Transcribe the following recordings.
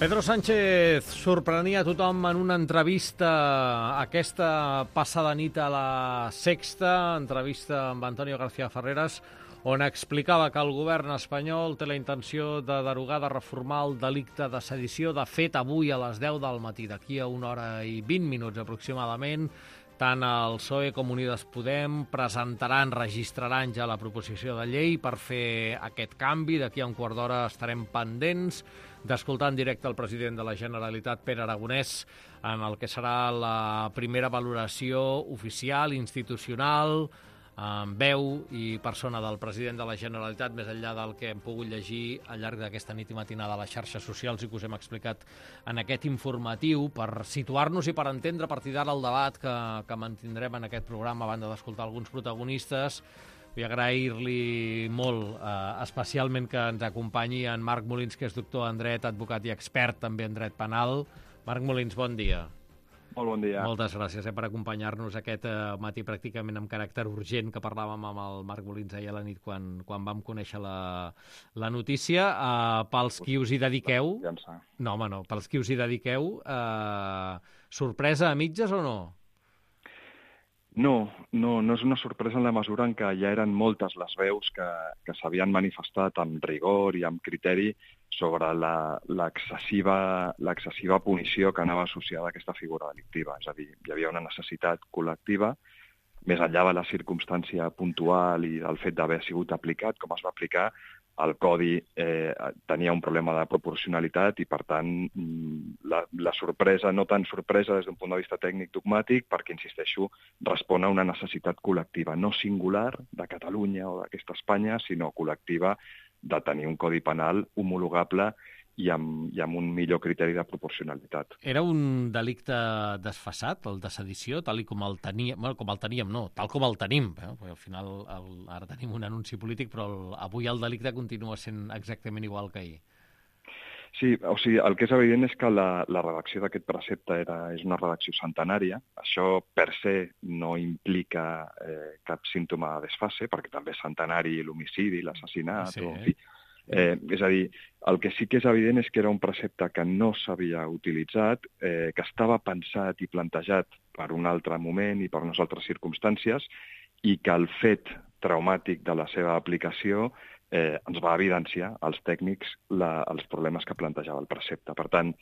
Pedro Sánchez sorprenia a tothom en una entrevista aquesta passada nit a La Sexta, entrevista amb Antonio García Ferreras, on explicava que el govern espanyol té la intenció de derogar, de reformar el delicte de sedició. De fet, avui a les 10 del matí, d'aquí a 1 hora i 20 minuts aproximadament, tant el PSOE com Unides Podem registraran ja la proposició de llei per fer aquest canvi. D'aquí a un quart d'hora estarem pendents d'escoltar en directe el president de la Generalitat, Pere Aragonès, en el que serà la primera valoració oficial, institucional, amb veu i persona del president de la Generalitat, més enllà del que hem pogut llegir al llarg d'aquesta nit i matinada a les xarxes socials i que us hem explicat en aquest informatiu, per situar-nos i per entendre a partir d'ara el debat que mantindrem en aquest programa, a banda d'escoltar alguns protagonistes. Vull agrair-li molt, especialment que ens acompanyi en Marc Molins, que és doctor en dret, advocat i expert també en dret penal. Marc Molins, bon dia. Molt bon dia. Moltes gràcies per acompanyar-nos aquest matí pràcticament amb caràcter urgent, que parlàvem amb el Marc Molins ahir a la nit quan vam conèixer la notícia. Pels qui us hi dediqueu... No, home, no. Pels qui us hi dediqueu, sorpresa a mitges o no? No és una sorpresa en la mesura en què ja eren moltes les veus que s'havien manifestat amb rigor i amb criteri sobre l'excessiva punició que anava associada a aquesta figura delictiva. És a dir, hi havia una necessitat col·lectiva, més enllà de la circumstància puntual i del fet d'haver sigut aplicat, com es va aplicar, el Codi tenia un problema de proporcionalitat i, per tant, la sorpresa, no tan sorpresa des d'un punt de vista tècnic dogmàtic, perquè, insisteixo, respon a una necessitat col·lectiva, no singular de Catalunya o d'aquesta Espanya, sinó col·lectiva de tenir un codi penal homologable i amb un millor criteri de proporcionalitat. Era un delicte desfasat, el de sedició, tal com el teníem, tal com el tenim, perquè al final ara tenim un anunci polític, però avui el delicte continua sent exactament igual que ahir. Sí, o sigui, el que és evident és que la redacció d'aquest precepte és una redacció centenària. Això per se no implica cap símptoma de desfase, perquè també és centenari l'homicidi, l'assassinat, sí. En fi. És a dir, el que sí que és evident és que era un precepte que no s'havia utilitzat, que estava pensat i plantejat per un altre moment i per unes altres circumstàncies, i que el fet traumàtic de la seva aplicació ens va evidenciar als tècnics els problemes que plantejava el precepte. Per tant,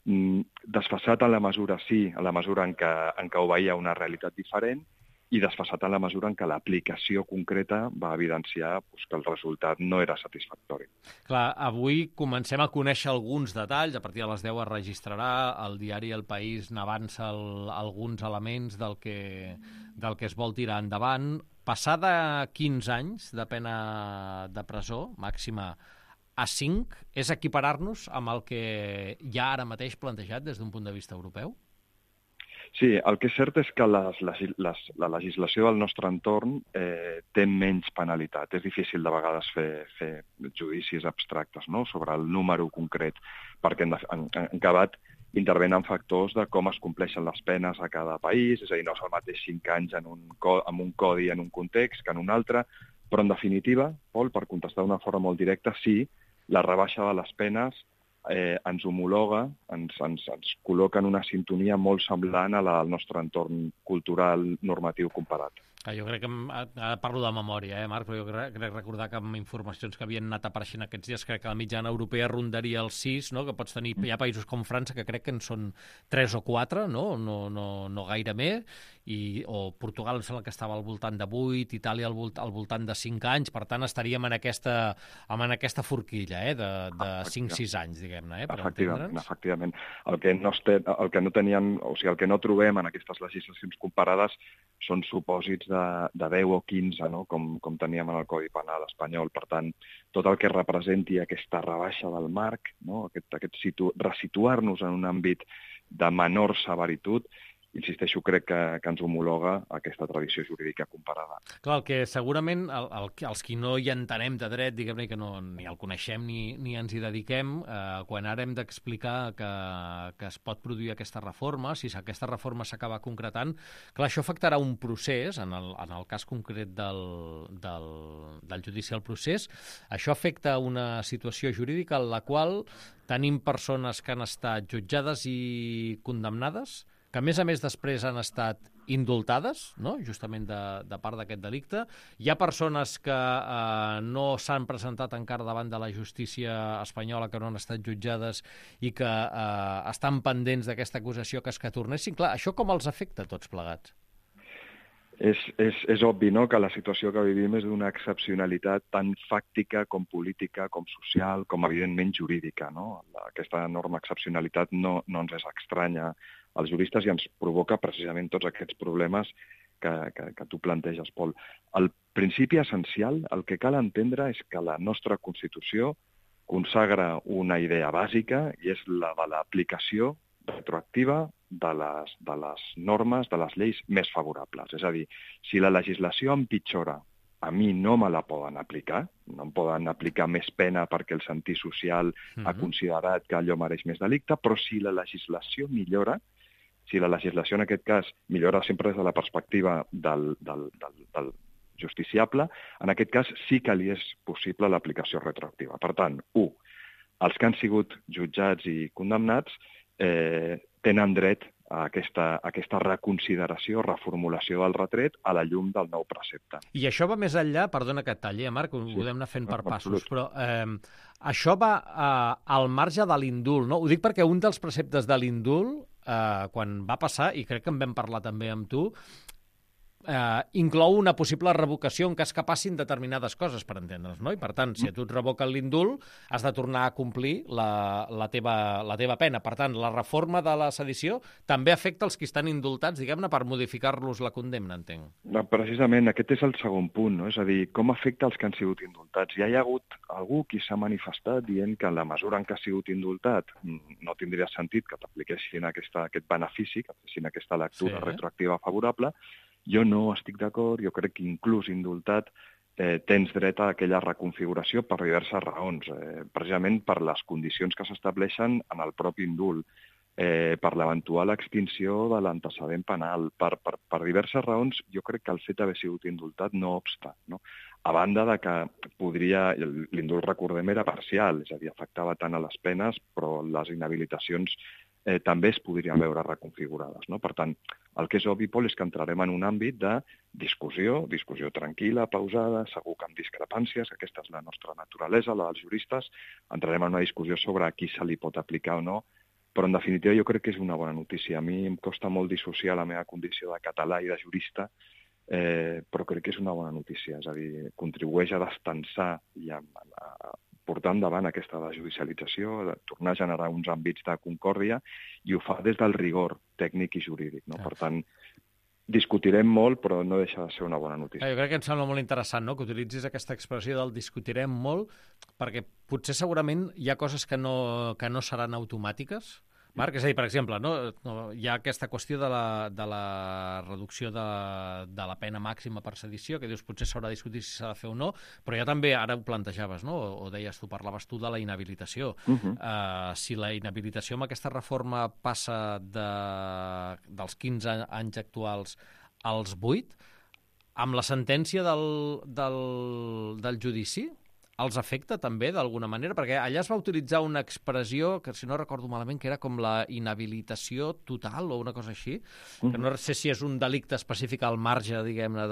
desfasat en la mesura, sí, en la mesura en què obeïa una realitat diferent, i desfasat en la mesura en què l'aplicació concreta va evidenciar que el resultat no era satisfactori. Clar, avui comencem a conèixer alguns detalls. A partir de les 10 es registrarà, el diari El País n'avança alguns elements del que es vol tirar endavant. Passada 15 anys de pena de presó màxima a 5, és equiparar-nos amb el que hi ha ara mateix plantejat des d'un punt de vista europeu? Sí, el que és cert és que la legislació del nostre entorn té menys penalitat. És difícil de vegades fer judicis abstractes, no?, sobre el número concret, perquè en acabat intervenen factors de com es compleixen les penes a cada país, és a dir, no és el mateix 5 anys en un codi en un context que en un altre, però en definitiva, Pol, per contestar d'una forma molt directa, sí, la rebaixa de les penes ens homologa, ens col·loca en una sintonia molt semblant a la del nostre entorn cultural normatiu comparat. Jo crec que, ara parlo de memòria, Marc, però jo crec recordar que amb informacions que havien anat apareixent aquests dies, crec que la mitjana europea rondaria els 6, no?, que pots tenir, hi ha països com França que crec que en són 3 o 4, no gaire més, o Portugal em sembla que estava al voltant de 8, Itàlia al voltant de 5 anys, per tant estaríem en aquesta forquilla, de 5-6 anys, diguem-ne, per entendre'ns. Efectivament. El que no tenien, o sigui, el que no trobem en aquestes legislacions comparades són supòsits de 10 o 15, no?, com teníem en el Codi Penal espanyol. Per tant, tot el que representi aquesta rebaixa del marc, no?, resituar-nos en un àmbit de menor severitud, insisteixo, crec que ens homologa aquesta tradició jurídica comparada. Clar, el que segurament els qui no hi entenem de dret, diguem-ne, que no, ni el coneixem ni ens hi dediquem, quan ara hem d'explicar que es pot produir aquesta reforma, si aquesta reforma s'acaba concretant, clar, això afectarà un procés, en el cas concret del judici al procés, això afecta una situació jurídica en la qual tenim persones que han estat jutjades i condemnades, que a més després han estat indultades, no? Justament de part d'aquest delicte. Hi ha persones que no s'han presentat encara davant de la justícia espanyola, que no han estat jutjades i que estan pendents d'aquesta acusació que tornessin. Clar, això com els afecta a tots plegats? És obvi, no?, que la situació que vivim és d'una excepcionalitat tant fàctica com política, com social, com evidentment jurídica, no? Aquesta enorme excepcionalitat no ens és estranya als juristes i ens provoca precisament tots aquests problemes que tu planteges, Pol. El principi essencial, el que cal entendre és que la nostra Constitució consagra una idea bàsica i és la de l'aplicació retroactiva de les normes, de les lleis més favorables. És a dir, si la legislació empitjora, a mi no me la poden aplicar, no em poden aplicar més pena perquè el sentit social ha considerat que allò mereix més delicte, però si la legislació millora, si la legislació en aquest cas millora sempre des de la perspectiva del justiciable, en aquest cas sí que li és possible l'aplicació retroactiva. Per tant, els que han sigut jutjats i condemnats tenen dret a aquesta reconsideració, reformulació del retret a la llum del nou precepte. I això va més enllà, perdona que et talli, Marc, ho podem anar fent per passos, però això va al marge de l'indult, no? Ho dic perquè un dels preceptes de l'indult, quan va passar, i crec que en vam parlar també amb tu, inclou una possible revocació en cas que passin determinades coses, per entendre's, no? I per tant, si a tu et revoquen l'indult, has de tornar a complir la teva pena. Per tant, la reforma de la sedició també afecta els que estan indultats, diguem-ne, per modificar-los la condemna, entenc. Precisament, aquest és el segon punt, no? És a dir, com afecta els que han sigut indultats. Ja hi ha hagut algú qui s'ha manifestat dient que en la mesura en què ha sigut indultat no tindria sentit que t'apliquessin aquest benefici, que fessin aquesta lectura retroactiva favorable. Jo no estic d'acord, jo crec que inclús indultat tens dret a aquella reconfiguració per diverses raons, precisament per les condicions que s'estableixen en el propi indult, per l'eventual extinció de l'antecedent penal, per diverses raons. Jo crec que el fet d'haver sigut indultat no obsta, no? A banda de que l'indult, recordem, era parcial, és a dir, afectava tant a les penes, però les inhabilitacions també es podrien veure reconfigurades, no? Per tant, el que és obvi, Pol, és que entrarem en un àmbit de discussió tranquil·la, pausada, segur que amb discrepàncies, aquesta és la nostra naturalesa, la dels juristes, entrarem en una discussió sobre a qui se li pot aplicar o no, però en definitiva jo crec que és una bona notícia. A mi em costa molt dissociar la meva condició de català i de jurista, però crec que és una bona notícia, és a dir, contribueix a destensar i a portar endavant aquesta desjudicialització, de tornar a generar uns àmbits de concòrdia, i ho fa des del rigor tècnic i jurídic, no? Per tant, discutirem molt, però no deixa de ser una bona notícia. Jo crec que em sembla molt interessant, no?, que utilitzis aquesta expressió del discutirem molt, perquè potser segurament hi ha coses que no seran automàtiques, Marc, és a dir, per exemple, hi ha aquesta qüestió de la reducció de la pena màxima per sedició, que dius potser s'haurà de discutir si s'ha de fer o no, però ja també, ara ho plantejaves, no? O deies tu, parlaves tu de la inhabilitació. Si la inhabilitació amb aquesta reforma passa dels 15 anys actuals als 8, amb la sentència del judici, els afecta també d'alguna manera? Perquè allà es va utilitzar una expressió que, si no recordo malament, que era com la inhabilitació total o una cosa així, que no sé si és un delicte específic al marge, diguem-ne,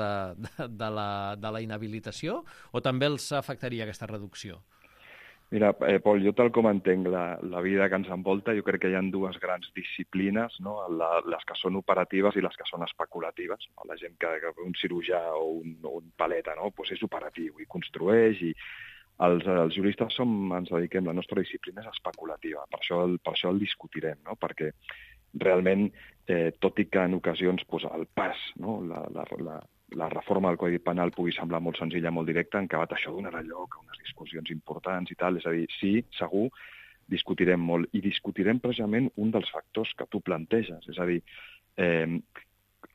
de la inhabilitació, o també els afectaria aquesta reducció? Mira, Pol, jo tal com entenc la vida que ens envolta, jo crec que hi ha dues grans disciplines, no? Les que són operatives i les que són especulatives. No? La gent que un cirurgià o un paleta, no? Pues és operatiu i construeix, i els juristes ens dediquem, la nostra disciplina és especulativa, per això el discutirem, no? Perquè realment, tot i que en ocasions el pas, no? La reforma del Codi Penal pugui semblar molt senzilla, molt directa, en acabat això donarà lloc a unes discussions importants i tal. És a dir, sí, segur, discutirem molt, i discutirem precisament un dels factors que tu planteges. És a dir,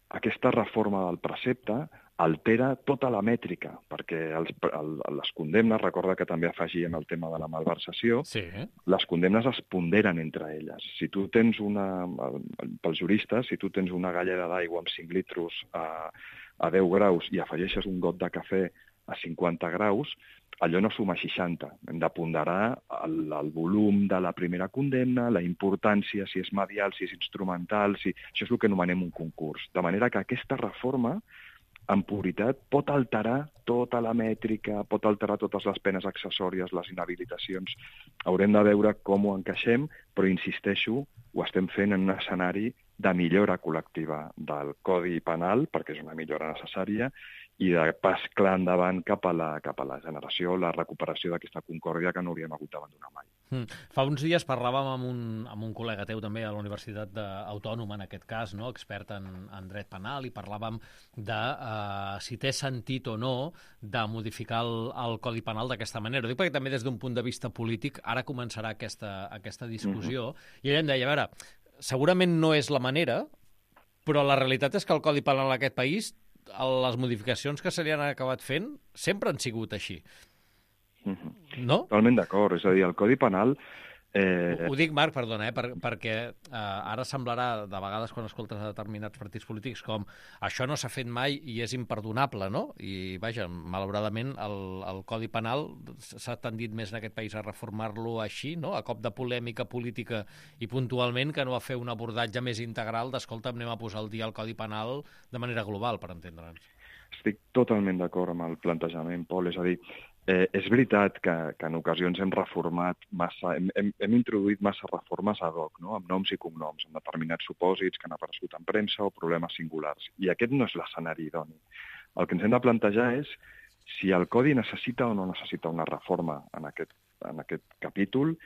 aquesta reforma del precepte altera tota la mètrica, perquè les condemnes, recorda que també afegíem el tema de la malversació, Sí. les condemnes es ponderen entre elles. Si tu tens pels juristes, si tu tens una galleda d'aigua amb 5 litres a 10 graus i afegeixes un got de cafè a 50 graus, allò no suma 60. Hem de ponderar el volum de la primera condemna, la importància, si és medial, si és instrumental, això és el que anomenem un concurs. De manera que aquesta reforma, en puritat, pot alterar tota la mètrica, pot alterar totes les penes accessòries, les inhabilitacions. Haurem de veure com ho encaixem, però insisteixo, ho estem fent en un escenari de millora col·lectiva del Codi Penal, perquè és una millora necessària, i de pas clar endavant cap a la generació, la recuperació d'aquesta concòrdia que no hauríem hagut d'abandonar mai. Fa uns dies parlàvem amb un col·lega teu també a la Universitat Autònoma, en aquest cas, no? Expert en dret penal, i parlàvem de si té sentit o no de modificar el Codi Penal d'aquesta manera. Ho dic perquè també des d'un punt de vista polític ara començarà aquesta discussió, i ella em deia, a veure, segurament no és la manera, però la realitat és que el Codi Penal en aquest país, les modificacions que se li han acabat fent sempre han sigut així. No? Totalment d'acord. És a dir, el Codi Penal... Ho dic, Marc, perdona, perquè ara semblarà, de vegades, quan escoltes determinats partits polítics, com això no s'ha fet mai i és imperdonable, no? I, vaja, malauradament, el Codi Penal s'ha tendit més en aquest país a reformar-lo així, no? A cop de polèmica política i puntualment, que no a fer un abordatge més integral d'escolta, anem a posar al dia el Codi Penal de manera global, per entendre'ns. Estic totalment d'acord amb el plantejament, Pol. És a dir, és veritat que en ocasions hem reformat massa, hem introduït massa reformes ad hoc, no? Amb noms i cognoms, amb determinats supòsits que han aparegut en premsa o problemes singulars. I aquest no és l'escenari idoni. El que ens hem de plantejar és si el Codi necessita o no necessita una reforma en aquest capítol,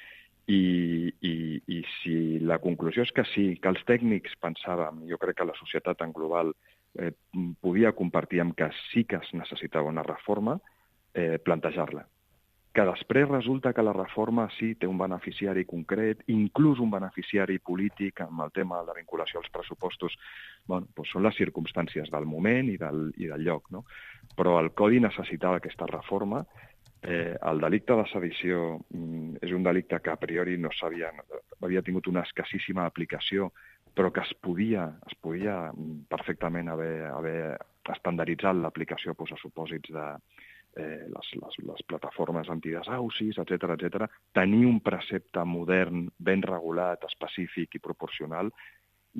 i si la conclusió és que sí, que els tècnics pensàvem, jo crec que la societat en global podia compartir amb que sí que es necessitava una reforma, plantejar-la. Que després resulta que la reforma sí té un beneficiari concret, inclús un beneficiari polític amb el tema de la vinculació als pressupostos, bueno, doncs són les circumstàncies del moment i del lloc, no? Però el Codi necessitava aquesta reforma. El delicte de sedició és un delicte que a priori no havia tingut una escassíssima aplicació, però que es podia perfectament haver estandarditzat l'aplicació a supòsits de les plataformes antidesaucis, etc. Tenir un precepte modern, ben regulat, específic i proporcional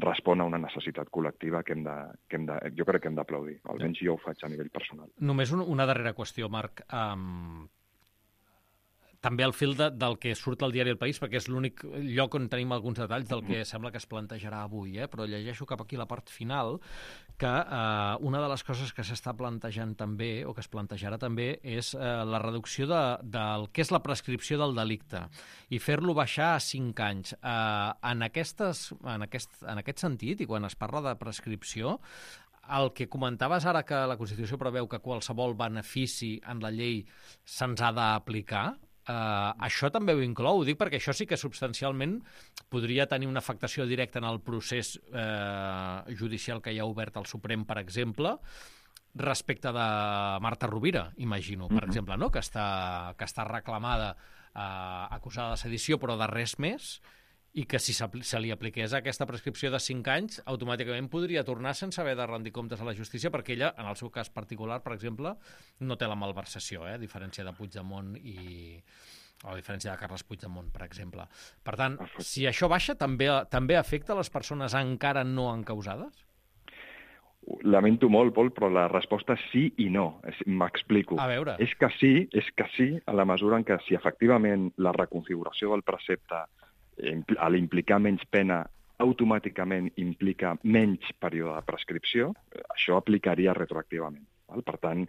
respon a una necessitat col·lectiva que jo crec que hem d'aplaudir. Almenys jo ho faig a nivell personal. Només una darrera qüestió, Marc. També al fil del que surt al diari El País, perquè és l'únic lloc on tenim alguns detalls del que sembla que es plantejarà avui, però llegeixo cap aquí la part final, que una de les coses que s'està plantejant també, o que es plantejarà també, és la reducció del que és la prescripció del delicte i fer-lo baixar a 5 anys. En aquest sentit, i quan es parla de prescripció, el que comentaves ara, que la Constitució preveu que qualsevol benefici en la llei se'ns ha d'aplicar, això també ho inclou, ho dic perquè això sí que substancialment podria tenir una afectació directa en el procés judicial que hi ha obert al Suprem, per exemple, respecte de Marta Rovira, imagino, per exemple, no? que està reclamada, acusada de sedició, però de res més, i que si se li apliqués aquesta prescripció de 5 anys, automàticament podria tornar sense haver de rendir comptes a la justícia, perquè ella, en el seu cas particular, per exemple, no té la malversació, a diferència de Puigdemont o a diferència de Carles Puigdemont, per exemple. Per tant, si això baixa, també afecta les persones encara no encausades? Lamento molt, Pol, però la resposta és sí i no. M'explico. A veure. És que sí, a la mesura en què si efectivament la reconfiguració del precepte a l'implicar menys pena automàticament implica menys període de prescripció, això aplicaria retroactivament. Per tant,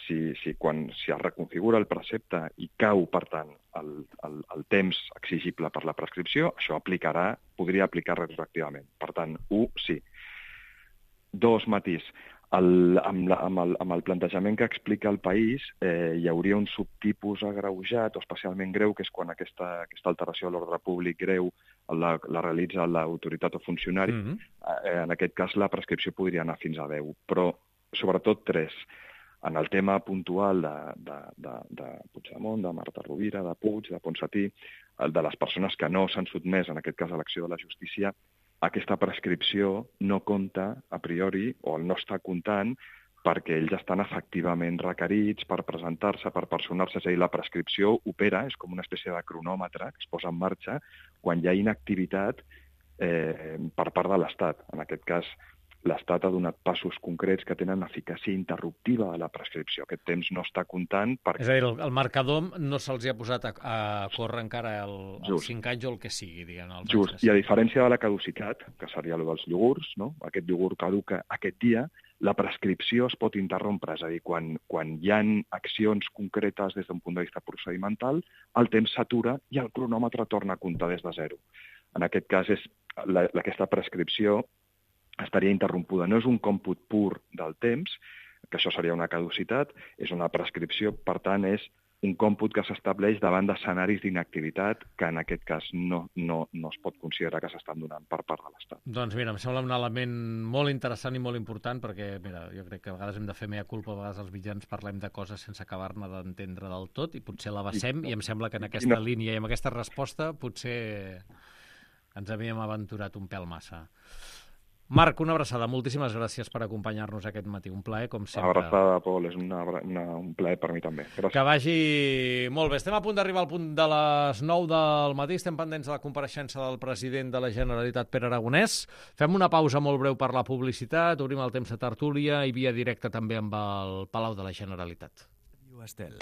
si es reconfigura el precepte i cau, per tant, el temps exigible per la prescripció, això podria aplicar retroactivament. Per tant, 1, sí. 2, matís. Amb el plantejament que explica el país, hi hauria un subtipus agreujat o especialment greu, que és quan aquesta alteració de l'ordre públic greu la realitza l'autoritat o funcionari. En aquest cas, la prescripció podria anar fins a 10, però sobretot 3. En el tema puntual de Puigdemont, de Marta Rovira, de Puig, de Ponsatí, de les persones que no s'han sotmès, en aquest cas, a l'acció de la justícia, aquesta prescripció no compta a priori, o no està comptant, perquè ells estan efectivament requerits per presentar-se, per personar-se. És a dir, la prescripció opera, és com una espècie de cronòmetre que es posa en marxa quan hi ha inactivitat per part de l'Estat. En aquest cas, l'Estat ha donat passos concrets que tenen eficàcia interruptiva de la prescripció. Aquest temps no està comptant perquè... És a dir, el marcador no se'ls ha posat a córrer encara els 5 anys o el que sigui, diguem. Just, i a diferència de la caducitat, que seria el dels iogurts, no? Aquest iogurt caduca aquest dia, la prescripció es pot interrompre. És a dir, quan hi ha accions concretes des d'un punt de vista procedimental, el temps s'atura i el cronòmetre torna a comptar des de 0. En aquest cas, aquesta prescripció estaria interrompuda. No és un còmput pur del temps, que això seria una caducitat, és una prescripció, per tant, és un còmput que s'estableix davant d'escenaris d'inactivitat que en aquest cas no es pot considerar que s'estan donant per part de l'Estat. Doncs mira, em sembla un element molt interessant i molt important perquè, mira, jo crec que a vegades hem de fer mea culpa, a vegades els mitjans parlem de coses sense acabar-ne d'entendre del tot i potser l'abassem i em sembla que en aquesta línia i amb aquesta resposta potser ens havíem aventurat un pèl massa. Marc, una abraçada. Moltíssimes gràcies per acompanyar-nos aquest matí. Un plaer, com sempre. Abraçada, Pol. És un plaer per mi també. Gràcies. Que vagi molt bé. Estem a punt d'arribar al punt de les 9 del matí. Estem pendents de la compareixença del president de la Generalitat, Pere Aragonès. Fem una pausa molt breu per la publicitat. Obrim el temps de tertúlia i via directa també amb el Palau de la Generalitat. Estel.